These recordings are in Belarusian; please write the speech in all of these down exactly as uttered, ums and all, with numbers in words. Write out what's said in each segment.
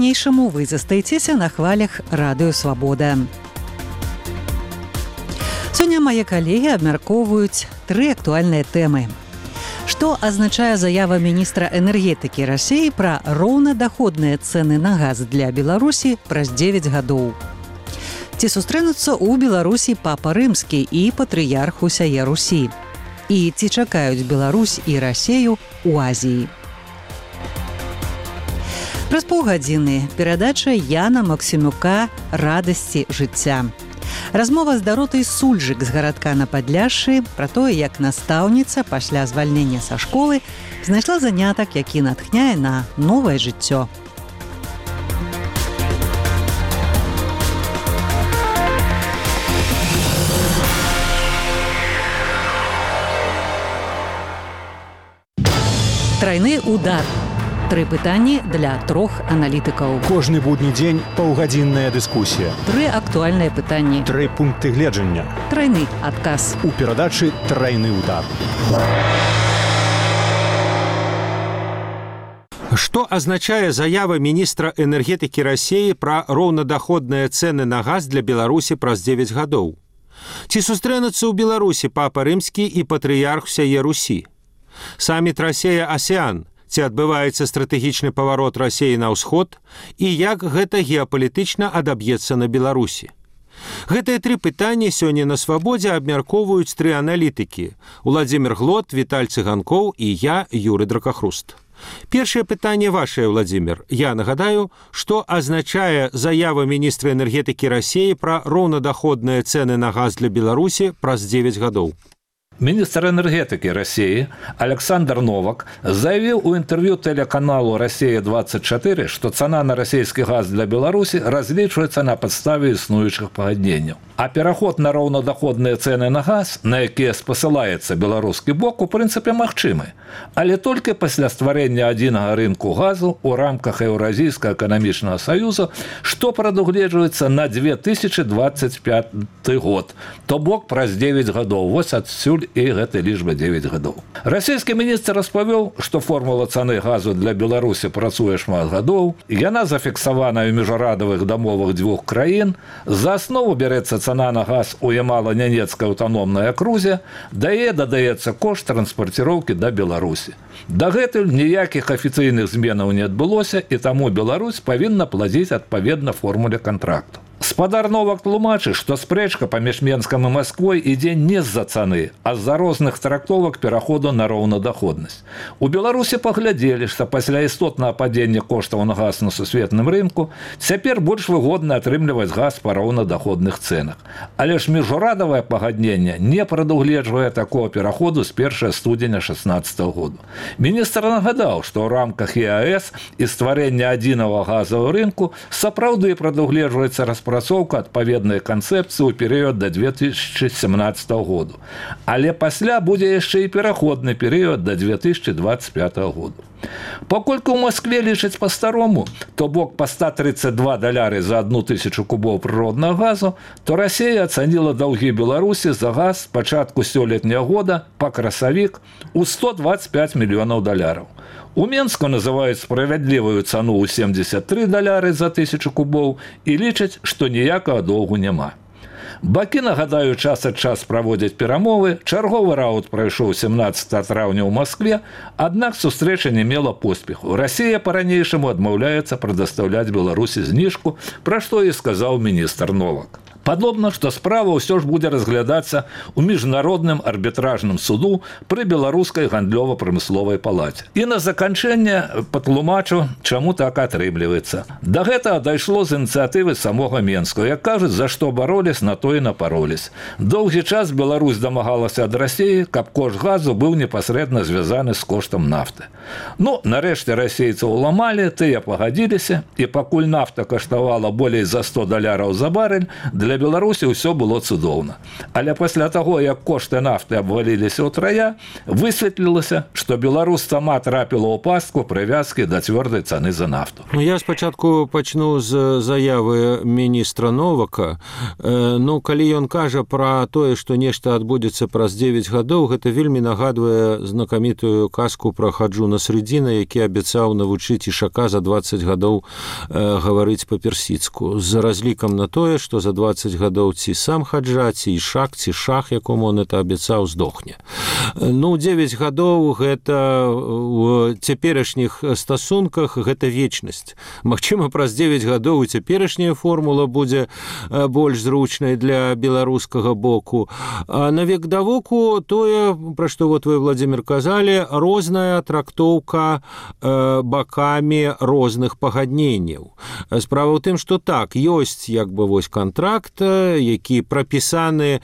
Па-ранейшаму вы застаецеся на хвалях Радыё Свабода. Сёння мае калегі абмяркоўваюць тры актуальныя тэмы. Што азначае заява міністра энергетыкі Расіі пра роўнадаходныя цэны на газ для Беларусі праз дзевяць гадоў? Ці сустрэнуцца ў Беларусі папа рымскі і патрыярх усяе Русі? І ці чакаюць Беларусь і Расію ў Азіі? Праз паўгадзіны перадача Яна Максімюка «Радасці жыцця». Размова з Даротай Сульжык з гарадка на Падляшшы пра тое, як настаўніца пасля звальнення са школы знайшла занятак, які натхняе на новае жыццё. Трайны удар. Тры пытанні для трох аналітыкаў. Кожны будні дзень паўгадзінная дыскусія. Тры актуальныя пытанні. Тры пункты гледжання. Трайны адказ. У перадачы «Трайны удар». Што азначае заява міністра энергетыкі Расіі пра роўнадаходныя цэны на газ для Беларусі праз дзевяць гадоў? Ці сустрэнуцца ў Беларусі папа рымскі і патрыярх усяе Русі? Саміт Расія-Асеан. Ці адбываецца стратэгічны паварот Расіі на ўсход і як гэта геапалітычна адаб'ецца на Беларусі? Гэтыя тры пытанні сёння на Свабодзе абмяркоўваюць тры аналітыкі – Уладзімір Глот, Віталь Цыганкоў і я, Юры Дракахруст. Першае пытанне вашае, Уладзімір. Я нагадаю, што азначае заява міністра энергетыкі Расіі пра роўнадаходныя цэны на газ для Беларусі праз дзевяць гадоў. Министр энергетики России Александр Новак заявил у интервью телеканалу «Россия-двадцать четыре», что цена на российский газ для Беларуси различивается на подставе існуючых пагадненняў. А пераход на роўнадаходныя цэны на газ, на якія спасылаецца беларускі бок, у прынцыпе магчымы, але толькі пасля стварэння адзінага рынку газу ў рамках Еўразійскага эканамічнага саюза, што прадугледжваецца на две тысячи двадцать пяты год, то бок праз дзевяць гадоў. Вось адсюль і гэтай лічбы дзевяць гадоў. Расійскі міністр распавёў, што формула цаны газу для Беларусі працуе шмат гадоў, яна зафіксавана ў міжнарадавых дамовах дзвюх краін, за аснову бярэцца цана на газ у Ямала-Нянецкай аўтаномнай акрузе, дае дадаецца кошт транспарціроўкі да Беларусі. Дагэтуль ніякіх афіцыйных зменаў не адбылося, і таму Беларусь павінна плаціць адпаведна формуле кантракту. Спадар Новак тлумачыць, што спрэчка паміж Менскам і Масквой ідзе не з-за цаны, а з-за розных трактовак пераходу на роўнадаходнасць. У Беларусі паглядзелі, што пасля істотнага падзення коштаў на газ на сусветным рынку цяпер больш выгодна атрымліваць газ па роўнадаходных цэнах. Але ж міжурадавае пагадненне не прадугледжвае такого пераходу з першага студзеня шаснаццатага году. Міністр нагадаў, што ў рамках Е А Эс і стварэння адзінага газавага рынку сапраўды прадугледжваецца распрацоўка працоўка адпаведнай канцэпцыі ў перыяд да две тысячи семнаццатага году. Але пасля будзе яшчэ і пераходны перыяд да две тысячи двадцать пятага году. Паколькі ў Маскве лічаць па-старому, то бок па сто тридцать два даляры за одну тысячу кубоў прыроднага газу, то Расія ацаніла даўгі Беларусі за газ з пачатку сёлетняга года па красавік у сто двадцать пять мільёнаў даляраў. У Менску называюць справядлівую цану ў семьдесят три даляры за тысячу кубоў і лічаць, што ніякага доўгу няма. Бакі, нагадаю, час ад час праводзяць перамовы, чарговы раунд прайшоў семнаццатага траўня ў Маскве, аднак сустрэча не мела поспеху. Расія па-ранейшаму адмаўляецца прадастаўляць Беларусі зніжку, пра што і сказаў міністр Новак. Падобна, што справа ўсё ж будзе разглядацца ў міжнародным арбітражным суду пры беларускай гандлёва-прамысловай палаце. І на заканчэнне патлумачу, чаму так атрымліваецца. Да гэтага дайшло з ініцыятывы самога Менска. Як кажуць, за што бароліс, на то і напароліс. Доўгі час Беларусь дамагалася ад Расіі, каб кошт газу быў непасрэдна звязаны з коштам нафты. Ну, нарэшце расейцаў уламалі, тыя пагадзіліся, і пакуль нафта каштавала болей за сто даляраў за барэль, для для Беларусі ўсё было цудоўна. Але пасля таго, як кошты нафты абваліліся ўтрая, высветлілася, што Беларусь сама трапіла ў пастку прывязкі да цвёрдай цаны за нафту. Ну, я спачатку пачну з заявы міністра Новака. Э, ну, калі ён кажа пра тое, што нешта адбудзецца праз дзевяць гадоў, гэта вельмі нагадвае знакамітую казку пра Хаджуна Средзіна, які абяцаў навучыць ішака за дваццаць гадоў э, гаварыць па-персідску, з разлікам на тое, што за дваццаць гадоў ці сам Хаджа, ці ішак, ці шах, якому он это абяцаў, здохне. Ну, дзевяць гадоў гэта у цяперашніх стасунках гэта вечнасць. Магчыма, праз дзевяць гадоў і цяперашняя формула будзе больш зручнай для беларускага боку. А на век да воку тое, пра што вот вы, Владимир, казалі, розная трактоўка э, бакамі розных пагадненняў. Справа ў тым, што так, ёсць як бы вось кантракт, які прапісаны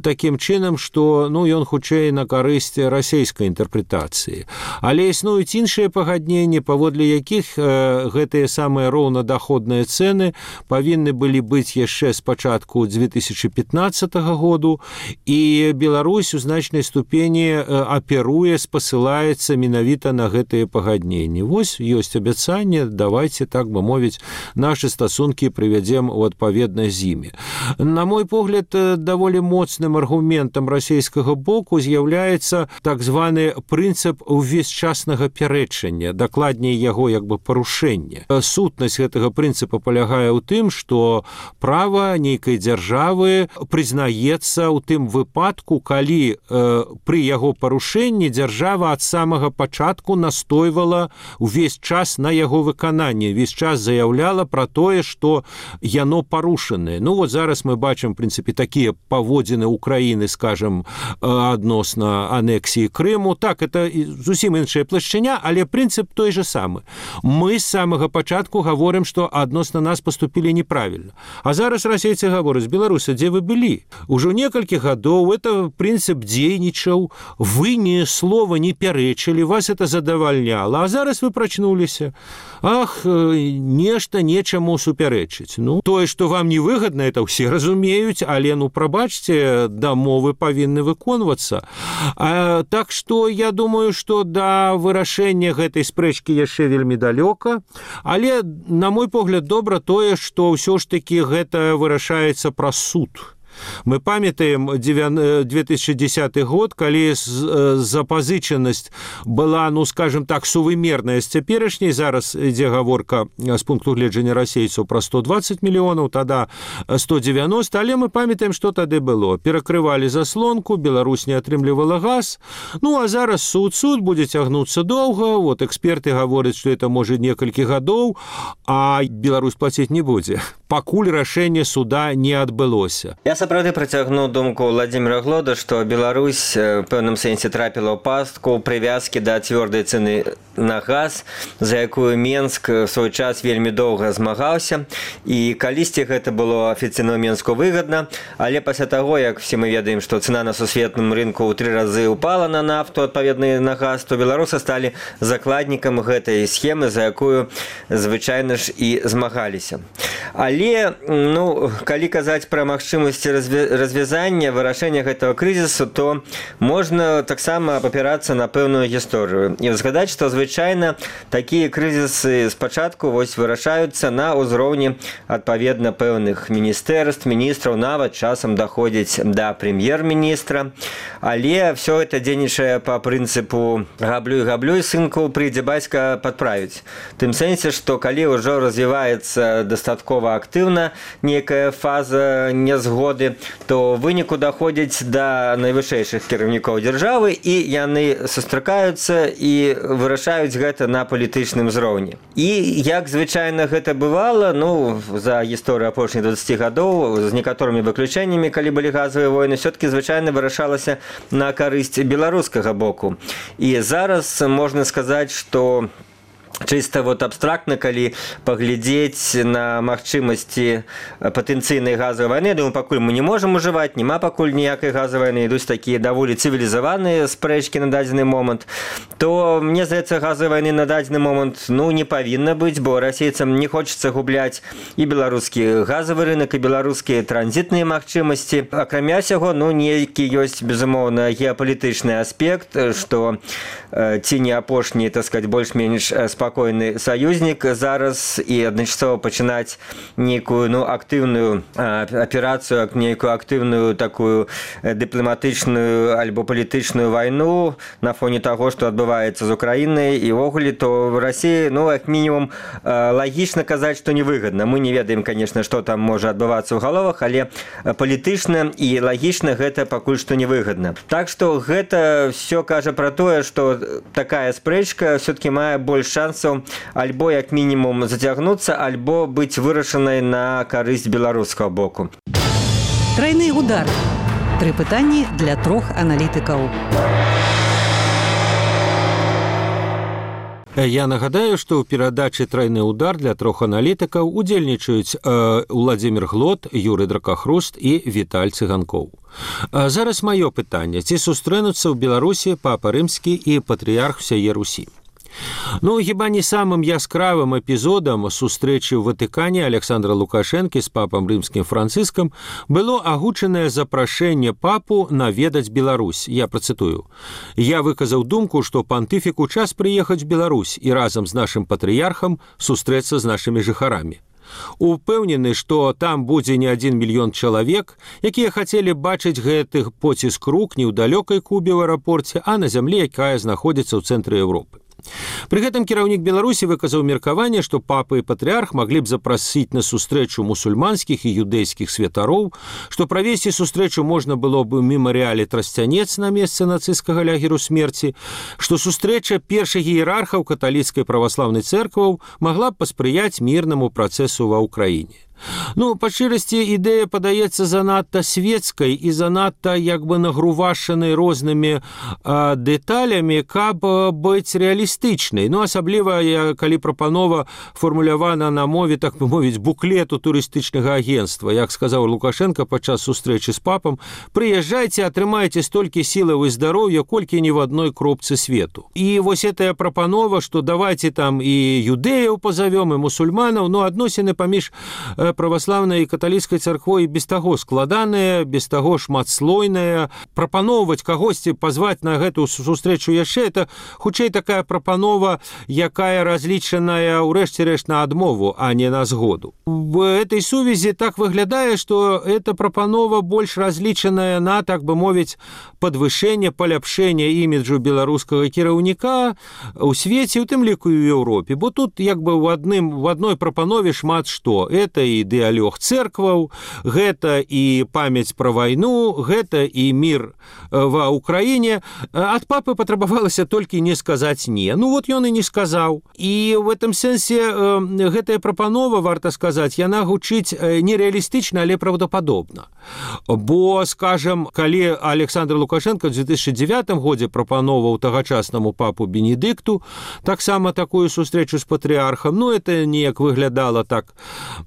такім чынам, што ну, ён хутчэй на карысць расейскай інтэрпрэтацыі. Але існуюць іншыя пагадненні, паводле якіх э, гэтыя самыя роўнадаходныя цэны павінны былі быць яшчэ з пачатку дзве тысячы пятнаццатага году, і Беларусь у значнай ступені аперуе, спасылаецца менавіта на гэтыя пагадненні. Вось ёсць абяцанне, давайте, так бы мовіць, нашы стасункі прывядзем у адпаведнасць з імі. На мой погляд, даволі моцным аргументам расійскага боку з'яўляецца так званы прынцып увесьчаснага пярэчання, дакладней яго як бы парушэння. Сутнасць гэтага прынцыпа палягае ў тым, што права нейкай дзяржавы прызнаецца ў тым выпадку, калі э, пры яго парушэнні дзяржава ад самага пачатку настойвала увесь час на яго выкананне, увесь час заяўляла пра тое, што яно парушанае. Ну вот зараз мы бачым, в прынцыпе, такія паводзіны Украіны, скажем, адносна анексіі Крыму. Так, это зусім іншая плашчыня, але прынцып той же самы. Мы з самага пачатку гаворым, што адносна нас поступілі неправільна. А зараз расейцы гавораць: беларусы, дзе вы былі? Ужо некалькі гадоў это прынцып дзейнічаў, вы ні слова не пярэчылі, вас это задавальняла, а зараз вы прачнуліся. Ах, нешта нечаму супярэчыць. Ну, тое, што вам невыгадна, это ўсе разумеюць, але, ну, прабачце, дамовы павінны выконвацца. А, так што я думаю, што да вырашэння гэтай спрэчкі яшчэ вельмі далёка, але, на мой погляд, добра тое, што ўсё ж такі гэта вырашаецца праз суд. Мы памятаем две тысячи десятый год, калі запазычанасць была, ну, скажем так, сувымерная з цяперашняй. Зараз ідзе гаворка з пункту гледжання расейцаў пра сто двадцать мільёнаў, тада сто девяносто, але мы памятаем, што тады было. Перакрывалі заслонку, Беларусь не атрымлівала газ. Ну, а зараз суд, суд будзе цягнуцца доўга. Вот эксперты гавораць, што это можа некалькі гадоў, а Беларусь плаціць не будзе, пакуль рашэнне суда не адбылося. Я сапраўды працягну думку Владимира Глода, што Беларусь в пэўным сэнсе трапіла ў пастку прывязкі да цвёрдай цэны на газ, за якую Менск в свой час вельмі доўга змагаўся, і калісьці гэта было афіцыйна Менску выгадна, але пасля таго, як все мы ведаем, што цена на сусветным рынку ў тры разы упала на нафту, адпаведна на газ, то беларусы сталі закладнікам гэтай схемы, за якую звычайна ж і змагаліся. Але, ну, калі казаць пра магчымасці развязання, вырашэння гэтага крызісу, то можна таксама папірацца на пэўную гісторыю і згадаць, што звычайна такія крызісы спачатку вось вырашаюцца на ўзроўні адпаведна пэўных міністэрств, міністраў, нават часам даходзіць да прэм'ер-міністра, але все это дзейнічае па прынцыпу габлюй габлюй, сынку прыйдзе бацька падправіць. Тым сэнсе, што калі ўжо развіваецца дастаткова актыўна некая фаза нязгоды, то выніку даходзіць да найвышэйшых кіраўнікоў дзяржавы, і яны сустракаюцца і вырашаюць гэта на палітычным узроўні. І як звычайна гэта бывала, ну, за гісторыю апошніх двадцати гадоў, з некаторымі выключэннямі, калі былі газавыя войны, все-таки звычайна вырашалася на карысць беларускага боку. І зараз можна сказаць, што чыста вот абстрактна, калі паглядзець на магчымасці патэнцыйнай газавай вайны, думаю, пакуль мы не можам ужываць, няма пакуль ніякай газавай вайны, ідуць такія даволі цывілізаваныя спрэчкі на дадзены момант, то мне здаецца, газавай вайны на дадзены момант ну не павінна быць, бо расейцам не хочацца губляць і беларускі газавы рынок, і беларускія транзітныя магчымасці. Акрамя сяго, ну нейкі ёсць безумоўна геапалітычны аспект, што ці не апошні, так сказать, больш-менш спакойны саюзнік зараз і адначасова пачынаць нейкую ну актыўную аперацыю, нейкую актыўную такую дыпламатычную альбо палітычную вайну на фоне таго, што адбываецца з Украінай і ўвогуле, то в Расіі ну як мінімум лагічна казаць, што невыгадна. Мы не ведаем, конечно, што там можа адбывацца ў галовах, але палітычна і лагічна гэта пакуль што невыгадна. Так што гэта все кажа пра тое, што такая спрэчка все-таки мае больш шансаў альбо як мінімум зацягнуцца, альбо быць вырашанай на карысць беларускага боку. Трайны удар. Тры пытанні для трох аналітыкаў. Я нагадаю, што ў перадачы «Трайны удар» для трох аналітыкаў удзельнічаюць э, Владзімір Глот, Юрый Дракахруст і Віталь Цыганкоў. А зараз маё пытанне. Ці сустрэнуцца ў Беларусі папа рымскі і патрыярх усяе Русі? Ну, хіба не самым яскравым эпізодам сустрэчы ў Ватыкане Александра Лукашэнкі з папам рымскім Францыскам было агучанае запрашэнне папу наведаць Беларусь. Я працытую. Я выказаў думку, што пантыфіку час прыехаць в Беларусь і разам з нашым патрыярхам сустрэцца з нашымі жыхарамі. Упэўнены, што там будзе не адзін мільён чалавек, якія хацелі бачыць гэты поціск рук не ў далёкай Кубе ў аэрапорце, а на зямлі, якая знаходзіцца ў цэнтры Еўропы. Пры гэтым кіраўнік Беларусі выказаў меркаванне, што папа і патрыарх маглі б запрасіць на сустрэчу мусульманскіх і юдэйскіх святароў, што правесці сустрэчу можна было б у мемарыяле Трасцянец на месцы нацысцкага лагеру смерці, што сустрэча першых іерархаў каталіцкай праваслаўнай цэркваў магла б паспрыяць мірнаму працэсу ва ўкраіне. Ну, па шчырасці, ідэя падаецца занадта свецкай і занадта як бы нагрувашанай рознымі а, дэталямі, каб быць рэалістычнай. Ну, асабліва, калі прапанова фармулявана на мове, так бы мовіць, буклету турыстычнага агенцтва. Як сказаў Лукашенко падчас сустрэчы з папам, прыязджайце, атрымайце столькі сілаў і здароўя, колькі ні в адной кропцы свету. І вось гэтая прапанова, што давайце там і юдэяў пазавём, і мусульманаў, ну, адносіны паміж праваслаўнай і каталіцкай царквой без таго складаныя, без таго шматслойныя. Прапаноўваць кагосьці пазваць на гэту сустрэчу яшчэ, это хутчэй такая прапанова, якая разлічаная ў рэшце рэшт на адмову, а не на згоду. В этой сувязі так выглядае, што эта прапанова больш разлічаная на, так бы мовіць, падвышэнне, паляпшэнне іміджу беларускага кіраўніка ў свеце, у тым ліку і ў Еўропе. Бо тут як бы ў адным в адной прапанове шмат што. Это і дыялог цэркваў, гэта і памяць пра вайну, гэта і мір ва ўкраіне. Ад папы патрабавалася толькі не сказаць не. Ну вот ён і не сказаў. І в этом сэнсе гэтая прапанова, варта сказаць, яна гучыць нереалістычна, але правдападобна. Бо, скажем, калі Александр Лукашенко в две тысячи девятым годзе прапановаў тагачаснаму папу Бенедыкту таксама такую сустрэчу з патрыархам, ну это неяк выглядала так,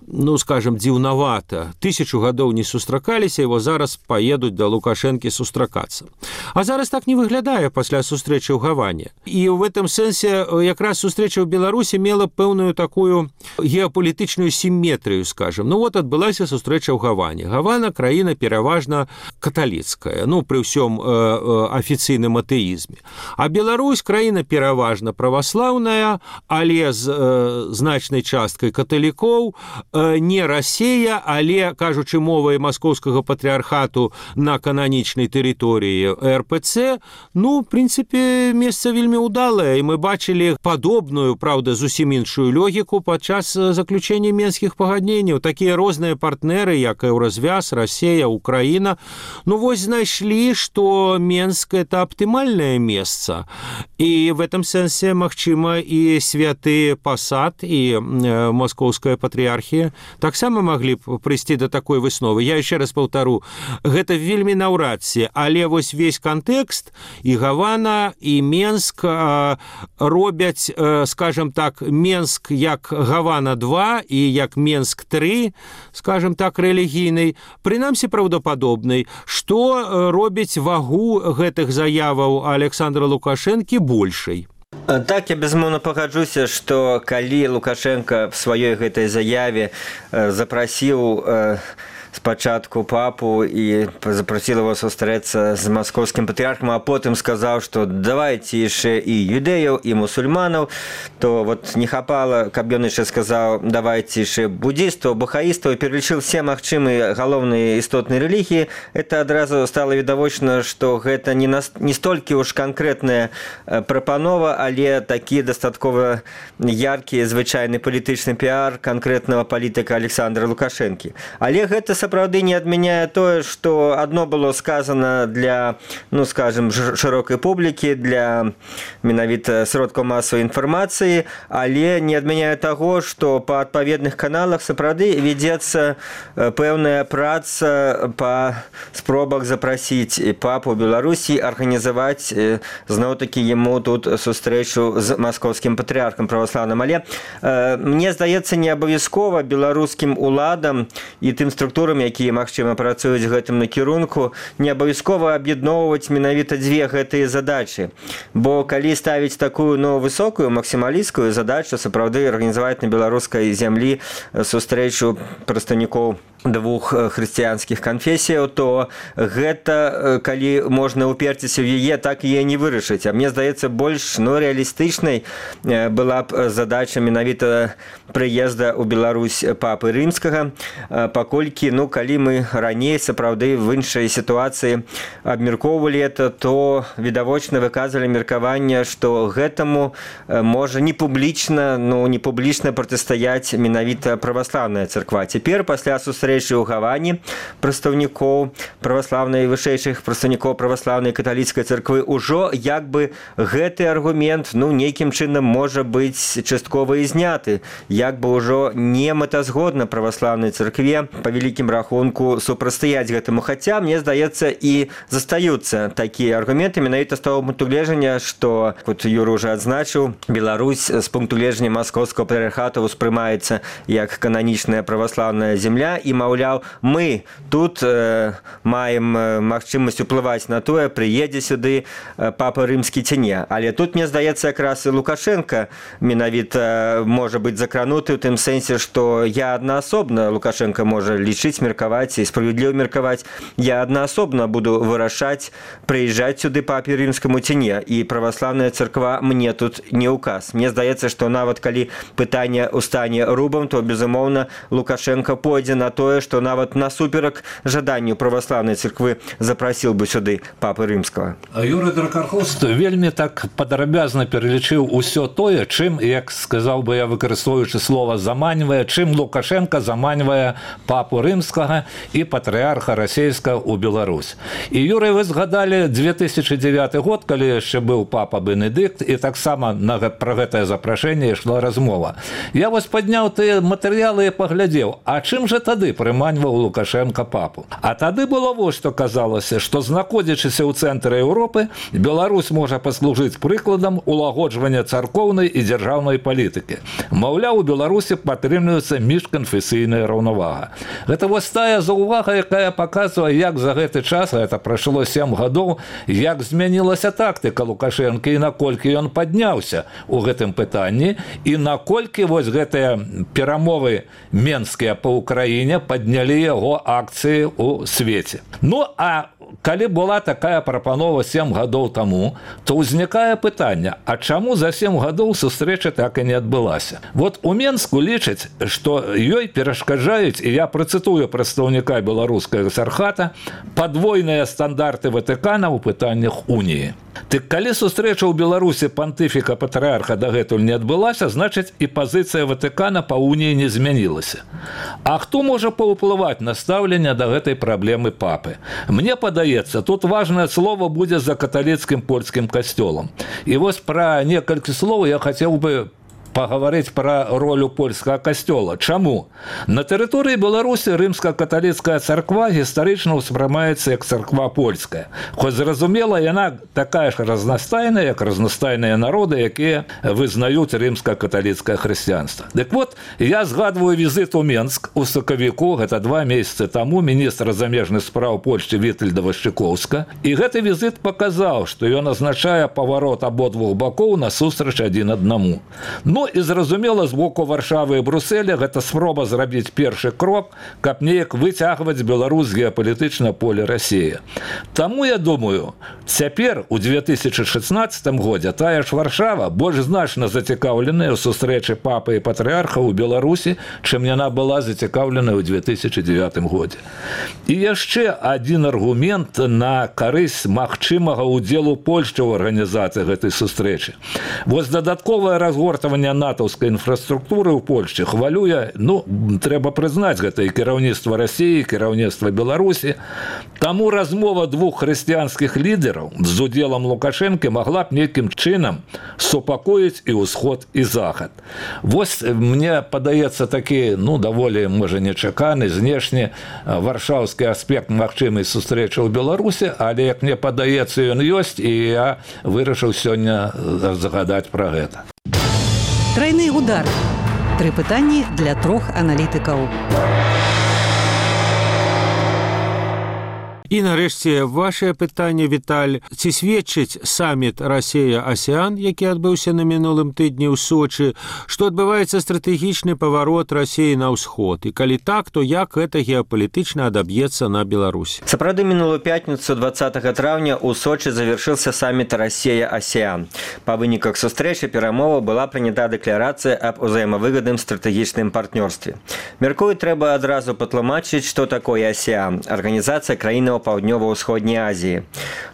ну, скажем, дзіўнавата. Тысячу гадоў не сустракаліся, его зараз паедуць да Лукашэнкі сустракацца. А зараз так не выглядае пасля сустрэчы ў Гаване. І в этом сэнсе якраз сустрэча ў Беларусі мела пэўную такую геапалітычную сімметрыю, скажем. Ну вот адбылася сустрэча ў Гаване. Гавана краіна пераважна каталіцкая, ну, пры ўсём э, э, афіцыйным атэізме. А Беларусь краіна пераважна праваслаўная, але з э, значнай часткай каталікоў, не Расія, але, кажучы мовай маскоўскага патрыархату на кананічнай тэрыторыі эр пэ цэ, ну, в прынцыпе, месца вельмі ўдалае, і мы бачылі падобную, праўда, зусім іншую логіку падчас заключэння менскіх пагадненняў. Такія розныя партнеры, як Еўразвяз, Расія, Украіна, ну, вось знайшлі, што Менск – это аптымальнае месца. І в этом сэнсе, магчыма, і святы пасад, і маскоўская патрыархія таксама маглі б прыйсці да такой высновы. Я яшчэ раз паўтару, гэта вельмі наўрад ці, але вось весь кантэкст і Гавана, і Менск э, робяць, э, скажем так, Менск як Гавана два і як Менск три, скажем так, рэлігійнай, прынамсі праўдападобнай, што робіць вагу гэтых заяваў Александра Лукашэнкі большай. Так, я безумоўна пагаджуся, што калі Лукашенко в сваёй гэтай заяве запрасіў спачатку папу і запрасіл его сустрэцца з маскоўскім патрыархам, а потым сказаў, што давайце яшчэ і юдэяў, і мусульманаў, то вот не хапала, каб ён яшчэ сказаў, давайце яшчэ буддістаў, бахаістаў, пералічыў все магчымыя галоўныя істотныя рэлігіі. Это адразу стала відавочна, што гэта не, на, не столькі ўж канкрэтная прапанова, але такі дастаткова яркі звычайны палітычны піар канкрэтнага палітыка Александра Лукашэнкі. Але гэта сапраўды не адмяняе тое, што адно было сказано для, ну, скажем, шырокай публікі, для менавіта сродкаў масавай інфармацыі, але не адмяняе таго, што па адпаведных каналах сапраўды вядзецца пэўная праца па спробах запрасіць папу Беларусі, арганізаваць зноў-такі яму тут сустрэчу з маскоўскім патрыархам праваслаўным. Але э, мне здаецца, не абавязкова беларускім уладам і тым структурам, якія, магчыма, працуюць гэтым накірунку, не абавязкова аб'ядноўваць менавіта дзве гэтыя задачы. Бо калі ставіць такую, ну, высокую, максімалісцкую задачу, сапраўды арганізаваць на беларускай зямлі сустрэчу прадстаўнікоў двух хрысціянскіх канфесіяў, то гэта, калі можна уперціся ў яе, так яе не вырашыць. А мне здаецца, больш, ну, рэалістычнай была б задача менавіта прыезда ў Беларусь папы рымскага, паколькі, ну, калі мы раней сапраўды в іншай сітуацыі абмяркоўвалі это, то відавочна выказвалі меркаванне, што гэтаму можа не публічна, ну, не публічна протыстаяць менавіта праваслаўная царква. Цяпер, пасля сустрэчы у Гаване прадстаўнікоў праваслаўнай, вышэйшых прадстаўнікоў праваслаўнай каталіцкай царквы, ужо як бы гэты аргумент, ну, нейкім чынам можа быць часткова і зняты, як бы ўжо не мэтазгодна праваслаўнай царкве па вялікім рахунку супрацьстаяць гэтаму. Хаця, мне здаецца, і застаюцца такія аргументы менавіта з таго пункту гледжання, што, вот Юра уже адзначыў, Беларусь з пункту гледжання маскоўскага патрыархата ўспрымаецца як кананічная праваслаўная земля, і, маўляў, мы тут э, маем магчымасць уплываць на тое, прыедзе сюды папа рымскі ці не. Але тут, мне здаецца, якраз і Лукашенко менавіта можа быць закрануты ў тым сэнсе, што я аднаасобна, Лукашенко можа лічыць, меркаваць і справядліва меркаваць, я аднаасобна буду вырашаць, прыязджаць сюды папе рымскаму ці не, і праваслаўная царква мне тут не ўказ. Мне здаецца, што нават калі пытанне ў стане рубам, то, безумоўна, Лукашенко пойдзе на тое, што нават насуперак жаданню праваслаўнай царквы запрасіл бы сюды папы рымскага. Юрый Дракархост вельмі так падрабязна пералічыў усё тое, чым, як сказаў бы я, выкарыстоўваючы слова заманьвае, чым Лукашенко заманьвае папу рымскага і патрыарха расейскага ў Беларусь. І, Юрый, вы згадалі две тысячы дзевяты год, калі яшчэ быў папа Бенедыкт, і таксама пра гэтае запрашэнне ішла размова. Я вось падняў тыя матэрыялы і паглядзеў, а чым жа тады прыманьваў Лукашенко папу? А тады было вось што казалася, што, знаходзячыся ў цэнтры Еўропы, Беларусь можа паслужыць прыкладам улагоджвання царкоўнай і дзяржаўнай палітыкі. Маўляў, у Беларусі падтрымліваецца міжканфесійная раўнавага. Гэта вось тая заўвага, якая паказвае, як за гэты час, гэта прайшло сем гадоў, як змянілася тактыка Лукашенка і наколькі ён падняўся ў гэтым пытанні, і наколькі вось гэтыя перамовы менскія па Украіне паднялі яго акцыі ў свеце. Ну, а калі была такая прапанова сем гадоў таму, то ўзнікае пытанне, а чаму за сем гадоў сустрэча так і не адбылася? Вот у Менску лічаць, што ёй перашкаджаюць, і я працытую прадстаўніка беларускага экзархата, падвойныя стандарты Ватыкана ў пытаннях уніі. Дык калі сустрэча ў Беларусі пантыфіка патрыарха дагэтуль не адбылася, значыць і пазіцыя Ватыкана па уніі не змянілася. А хто можа паўплываць на стаўленне да гэтай праблемы папы? Мне падаецца, тут важнае слово будзе за каталіцкім польскім касцёлам. І вось пра некалькі слоў я хацеў бы паговорыць пра ролю польскага касцёла. Чаму? На тэрыторыі Беларусі рымска-каталіцкая царква гістарычна ўспрымаецца як царква польская. Хоць зразумела, яна такая ж разнастайная, як разнастайныя народы, якія вызнаюць рымска-каталіцкае хрысціянства. Дык вот, я згадваю візит у Менск у сакавіку, гэта два месяцы таму, міністра замежных спраў Польшчы Вітальда Вашчыкоўска, і гэты візит паказаў, што ён азначае паварот абодвух бакоў насустрач адзін аднаму. Ну і зразумела, з боку Варшавы і Брусэля гэта спроба зрабіць першы крок, каб неяк выцягваць Беларусь з геапалітычнага поля Расіі. Таму я думаю, цяпер у две тысячы шэсцнаццатым годзе тая ж Варшава больш значна зацікаўленая ў сустрэчы папы і патрыарха ў Беларусі, чым яна была зацікаўленая ў две тысячы дзевятым годзе. І яшчэ адзін аргумент на карысць магчымага ўдзелу Польшчы ў арганізацыі гэтай сустрэчы. Вось дадатковае разгортванне натаўскай інфраструктуры ў Польшчы хвалюе, ну, трэба прызнаць гэта і кіраўніцтва Расіі, і кіраўніцтва Беларусі. Таму размова двух хрысціянскіх лідераў з удзелам Лукашэнкі магла б нейкім чынам супакоіць і ўсход, і захад. Вось мне падаецца такі, ну, даволі, можа, нечаканы, знешні варшаўскі аспект магчымай сустрэчы ў Беларусі, але, як мне падаецца, ён ёсць, і я вырашыў сёння загадаць пра гэта. Трайны удар. Тры пытанні для трох аналітыкаў. І нарэшце вашае пытанне, Віталь. Ці сведчыць саміт Расія-Асіян, які адбыўся на мінулым тыдні ў Сочы, што адбываецца стратэгічны паварот Расіі на ўсход? І калі так, то як гэта геапалітычна адаб'ецца на Беларусь? Сапраўды, мінулую пятніцу двадцатага траўня ў Сочы завяршыўся саміт Расія-Асіян. Па выніках сустрэчы перамоваў была прынята дэкларацыя аб узаемавыгадным стратэгічным партнёрстве. Мяркую, трэба адразу патлумачыць, што такое Асіян – арганізацыя краінаў Паўднёва-ўсходняй Азіі.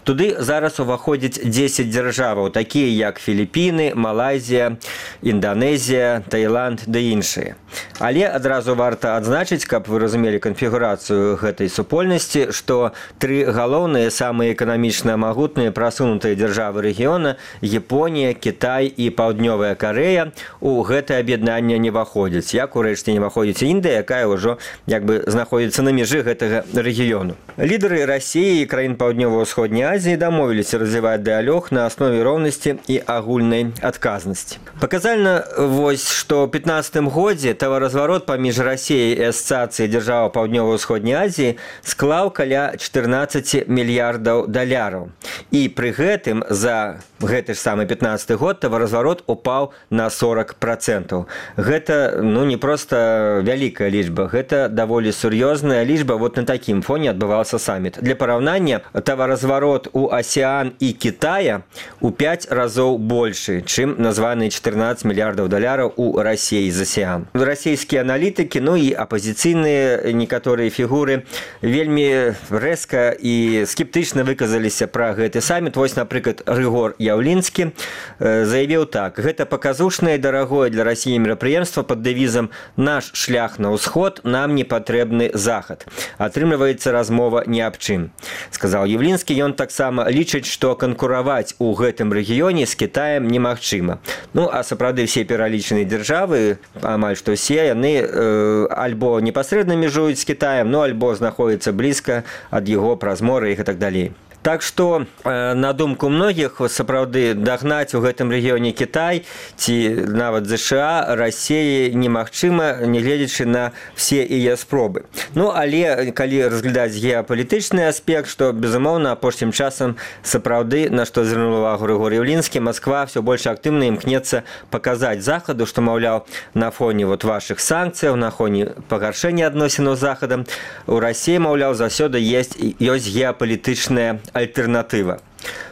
Туды зараз уваходзяць дзесяць дзяржаваў, такія як Філіпіны, Малайзія, Інданезія, Таіланд ды іншыя. Але адразу варта адзначыць, каб вы разумелі канфігурацыю гэтай супольнасці, што тры галоўныя, самыя эканамічна магутныя прасунутыя дзяржавы рэгіёна – Японія, Кітай і Паўднёвая Карэя – у гэтае аб'яднанне не ўваходзяць, як урэшце не ўваходзіць Індыя, якая ўжо як бы знаходзіцца на межы гэтага рэгіёну. Лідары Расіі і краін Паўднёва-ўсходняй Азіі дамовіліся развіваць дыялог на аснове роўнасці і агульнай адказнасці. Паказальна вось, што ў пятнаццатым годзе таваразварот паміж Расіяй і Асацыяцыяй дзяржаў Паўднёва-ўсходняй Азіі склаў каля чатырнаццаць мільярдаў даляраў. І пры гэтым за гэты ж самы пятнаццаты год таваразварот упаў на сорок процентаў. Гэта, ну, не проста вялікая лічба, гэта даволі сур'ёзная лічба. Вот на такім фоне адбываўся саміт. Для параўнання, таваразварот у Асіян і Кітая у пяць разоў большы, чым названыя чатырнаццаць мільярдаў даляраў у Расіі з Асіян. Расійскія аналітыкі, ну і апазіцыйныя некаторыя фігуры вельмі рэзка і скептычна выказаліся пра гэты саміт. Вось, напрыклад, Рыгор Яўлінскі заявіў так: гэта паказушнае і дарагое для Расіі мерапрыемства пад дэвізам «Наш шлях на ўсход, нам не патрэбны захад». Атрымліваецца размова не аб чым. Сказаў Яўлінскі, ён таксама лічыць, што канкураваць у гэтым рэгіёне з Кітаем немагчыма. Ну, а сапраўды все пералічаныя дзяржавы, амаль што ўсе, яны э, альбо непасрэдна межуюць з Кітаем, ну, альбо знаходзяцца блізка ад яго праз мора і так далей. Так што, на думку многіх, сапраўды дагнаць у гэтым рэгіёне Кітай ці нават ЗША Расіі немагчыма, нягледзячы на все яе спробы. Ну, але калі разглядаць геапалітычны аспект, што, безумоўна, апошнім часам сапраўды, на што звярнуў увагу Рыгор Яўлінскі, Масква ўсё больш актыўна імкнецца паказаць Захаду, што, маўляў, на фоне вот вашых санкцыяў, на фоне пагаршэння адносінаў з Захадам, у Расіі, маўляў, заўсёды ёсць, ёсць геапалітычная альтэрнатыва.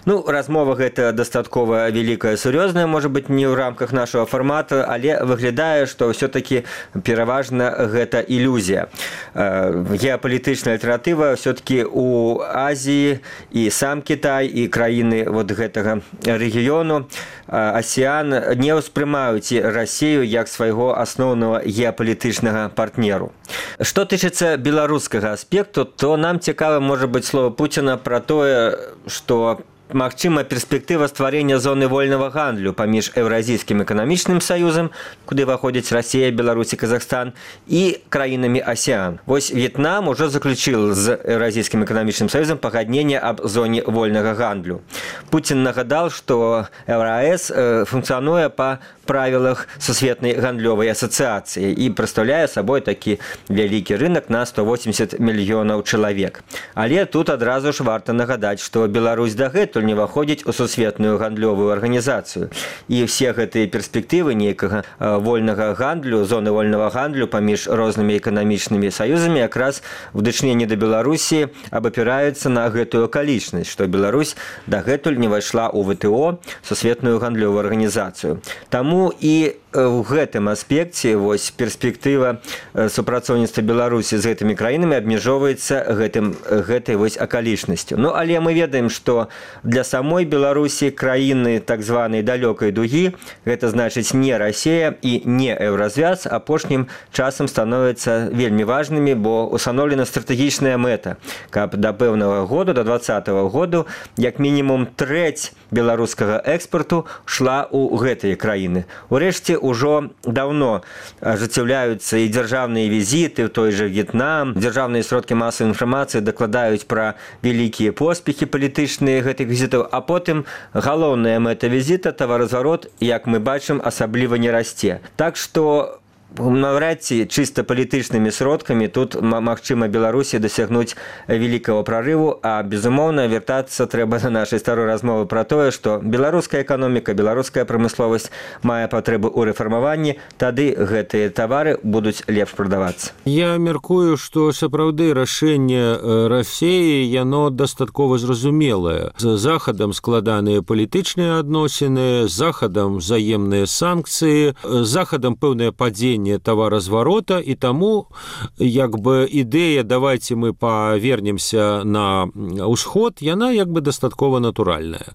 Ну, размова гэта дастаткова вялікая, сур'ёзная, можа быць, не ў рамках нашага фармата, але выглядае, што ўсё-такі пераважна гэта ілюзія. Геапалітычная альтэрнатыва ўсё-такі ў Азіі і сам Кітай, і краіны вот гэтага рэгіёну Асіян не ўспрымаюць Расію як свайго асноўнага геапалітычнага партнеру. Што тычыцца беларускага аспекту, то нам цікава, можа быць, слова Пуціна пра тое, што магчыма перспектыва стварэння зоны вольнага гандлю паміж Еўразійскім эканамічным саюзам, куды выходзяць Расія, Беларусь і Казахстан, і краінамі АСЕАН. Вось В'етнам ужо заключил з Еўразійскім эканамічным саюзам пагадненне аб зоне вольнага гандлю. Путін нагадал, што ЕўраЭС функцыянуе па правілах Сусветнай гандлёвай асацыяцыі і прадстаўляе сабой такі вялікі рынок на сто восемьдесят мільёнаў чалавек. Але тут адразу ж варта нагадаць, што Беларусь дагэтуль не ўваходзіць у Сусветную гандлёвую арганізацыю. І все гэтыя перспектывы нейкага вольнага гандлю, зоны вольнага гандлю паміж рознымі эканамічнымі саюзамі якраз в дачыненні да Беларусі абапіраюцца на гэтую акалічнасць, што Беларусь дагэтуль не ўвайшла ў ВТО, Сусветную гандлёвую арганізацыю. Таму і ў гэтым аспекце вось перспектыва супрацоўніцтва Беларусі з гэтымі краінамі абмяжоўваецца гэтым гэтай вось акалічнасцю. Ну але мы ведаем, што для самой Беларусі краіны так званай далёкай дугі, гэта значыць не Расія і не Еўразвяз, апошнім часам становяцца вельмі важнымі, бо устаноўлена стратэгічная мэта, каб да пэўнага году, да двадцатага году, як мінімум трэць беларускага экспарту шла ў гэтыя краіны. Урэшце ўжо даўно ажыццяўляюцца і дзяржаўныя візіты ў той жа В'етнам. Дзяржаўныя сродкі масавай інфармацыі дакладаюць пра вялікія поспехі палітычныя гэтых візітаў, а потым галоўная мэта візіта, таваразварот, як мы бачым, асабліва не расце. Так што навряд ці чыста палітычнымі сродкамі тут магчыма Беларусі дасягнуць вялікага прарыву, а безумоўна вяртацца трэба на нашай старой размовы пра тое, што беларуская эканоміка, беларуская прамысловасць мае патрэбу ў рэфармаванні, тады гэтыя тавары будуць лепш прадавацца. Я мяркую, што сапраўды рашэнне Расіі яно дастаткова зразумелае. З захадам складаныя палітычныя адносіны, з захадам взаемныя санкцыі, з захадам пэўнае падзенне таваразварота, і таму як бы ідэя «давайте мы павернемся на ўсход», яна як бы дастаткова натуральная.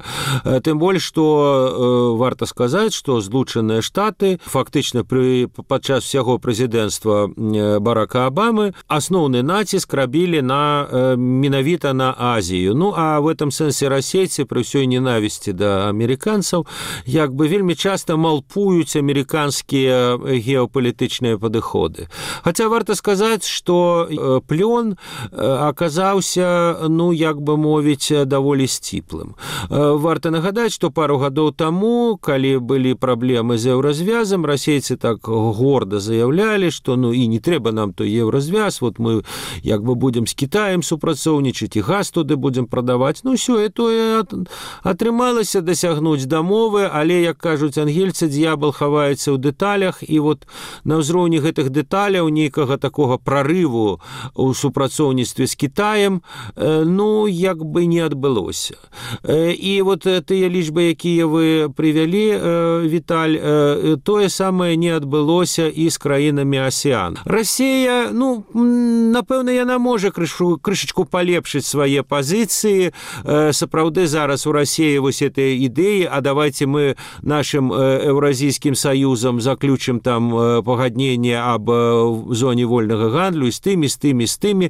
Тым больш, што варта сказаць, што Злучаныя Штаты фактычна пры падчас усяго прэзідэнцтва Барака Абамы асноўны націск рабілі на менавіта на Азію. Ну а в этом сэнсе расейцы пры ўсёй ненавісці да амерыканцаў як бы вельмі часта малпуюць амерыканскія геапалітычныя падыходы. Хаця варта сказаць, што плён аказаўся, ну, як бы мовіць, даволі сціплым. Варта нагадаць, што пару гадоў таму, калі былі праблемы з еўразвязам, расейцы так горда заяўлялі, што ну і не трэба нам той еўразвяз, вот мы як бы будзем з Кітаем супрацоўнічаць і газ туды будзем прадаваць. Ну ўсё, і тое атрымалася дасягнуць дамовы, але, як кажуць ангельцы, д'ябал хаваецца ў дэталях, і вот на ўзроўні гэтых дэталяў нейкага такога прарыву ў супрацоўніцтве з Кітаем, ну, як бы не адбылося. І вот тыя лічбы, якія вы прывялі, Віталь, тое самае не адбылося і з краінамі АСЕАН. Расія, ну, напэўна, яна можа крышу, крышачку палепшыць свае пазіцыі. Сапраўды зараз у Расіі вось этой ідэі, а давайте мы нашым Еўразійскім саюзам заключым там пагадненне аб зоне вольнага гандлю з тымі, з тымі, з тымі.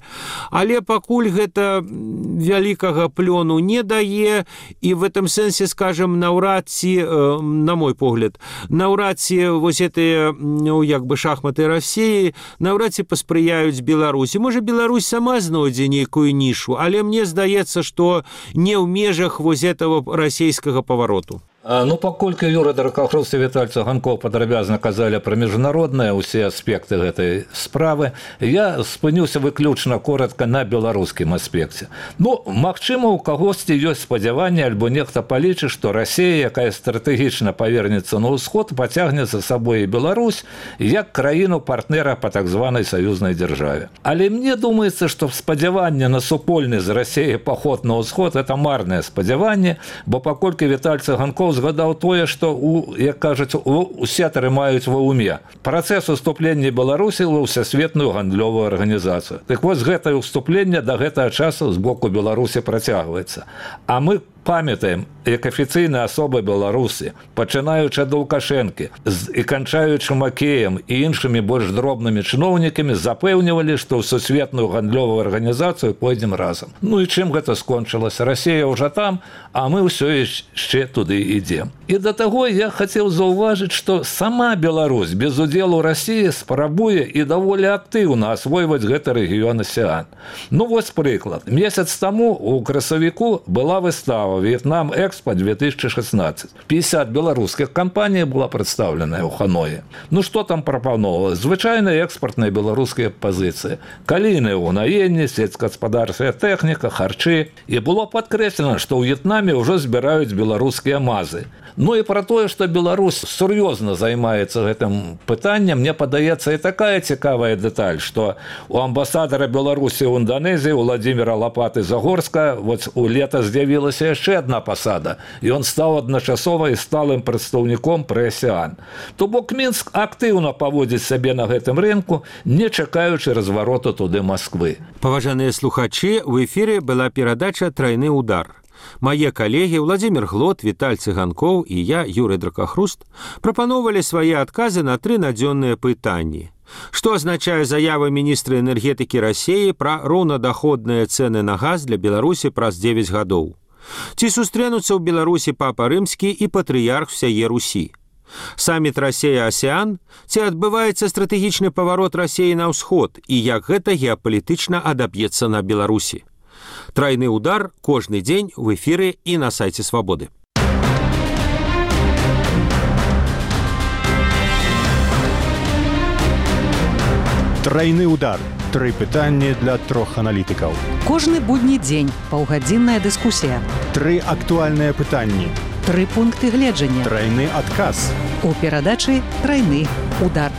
Але пакуль гэта вялікага плёну не дае, і в этом сэнсе, скажем, наўрад ці, на мой погляд, наўрад ці вось гэтыя, ну, як бы шахматы Расіі наўрад ці паспрыяюць Беларусі. Можа, Беларусь сама знойдзе нейкую нішу, але мне здаецца, што не ў межах вось этого расійскага павароту. Ну, паколькі Юра Даркахрус і Віталь Цуганкоў падрабязна казалі пра міжнародныя ўсе аспекты гэтай справы, я спынюся выключна коротка на беларускім аспекце. Ну, магчыма, у кагосьці ёсць спадзяванне, альбо нехта палічыць, што Расія, якая стратэгічна павернецца на ўсход, пацягне за сабой і Беларусь як краіну партнера па так званай саюзнай дзяржаве. Але мне думаецца, што спадзяванне на супольны з Расіяй паход на ўсход – это марнае спадзяванне, бо паколькі Віталь Цуганкоў згадаў тое, што, у, як кажуць, усе трымаюць ва ўме. Працэс уступлення Беларусі ва ўсесветную гандлёвую арганізацыю. Так вось, гэтае ўступленне да гэтага часу з боку Беларусі працягваецца. А мы Памятаем, як афіцыйныя асобы Беларусі, пачынаючы ад Лукашэнкі і канчаючы Макеем і іншымі больш дробнымі чыноўнікамі, запэўнівалі, што ў сусветную гандлёвую арганізацыю пойдзем разам. Ну і чым гэта скончылася? Расія ўжо там, а мы ўсё яшчэ туды ідзем. І да таго я хацеў заўважыць, што сама Беларусь без удзелу Расіі спрабуе і даволі актыўна асвойваць гэты рэгіён асіян. Ну вось прыклад. Месяц таму у красавіку была выстава «В'етнам Экспо две тысячи шестнадцать». пятьдесят беларускіх кампаній была прадстаўленая ў Ханоі. Ну што там прапановалася? Звычайныя экспартныя беларускія пазіцыі. Калійныя ўгнаенні, сельскагаспадарчая тэхніка, харчы. І было падкрэслена, што ў В'етнаме ўжо збіраюць беларускія мазы. Ну і пра тое, што Беларусь сур'ёзна займаецца гэтым пытаннем, мне падаецца і такая цікавая дэталь, што у амбасадара Беларусі ў Інданезіі Владзіміра Лапаты-Загорска вот у лета з'явілася яшчэ адна пасада, і ён стаў адначасова і сталым прадстаўніком пры асіян. То бок Мінск актыўна паводзіць сябе на гэтым рынку, не чакаючы развароту туды Масквы. Паважаныя слухачы, у эфіры была перадача «Трайны удар». Мае калегі Владзімір Глот, Віталь Цыганкоў і я, Юрый Дракахруст, прапаноўвалі свае адказы на тры надзённыя пытанні. Што азначае заява міністра энергетыкі Расіі пра роўнадаходныя цэны на газ для Беларусі праз дзевяць гадоў? Ці сустрэнуцца ў Беларусі папа рымскі і патрыярх всяе Русі? Саміт Расія-Асіян? Ці адбываецца стратэгічны паварот Расіі на ўсход і як гэта геапалітычна адаб'ецца на Беларусі? Трайны удар кожны дзень в эфіры і на сайце Свабоды. Трайны удар. Тры пытанні для трох аналітыкаў. Кожны будні дзень паўгадзінная дыскусія. Тры актуальныя пытанні. Тры пункты гледжання. Трайны адказ. У перадачы «Трайны удар».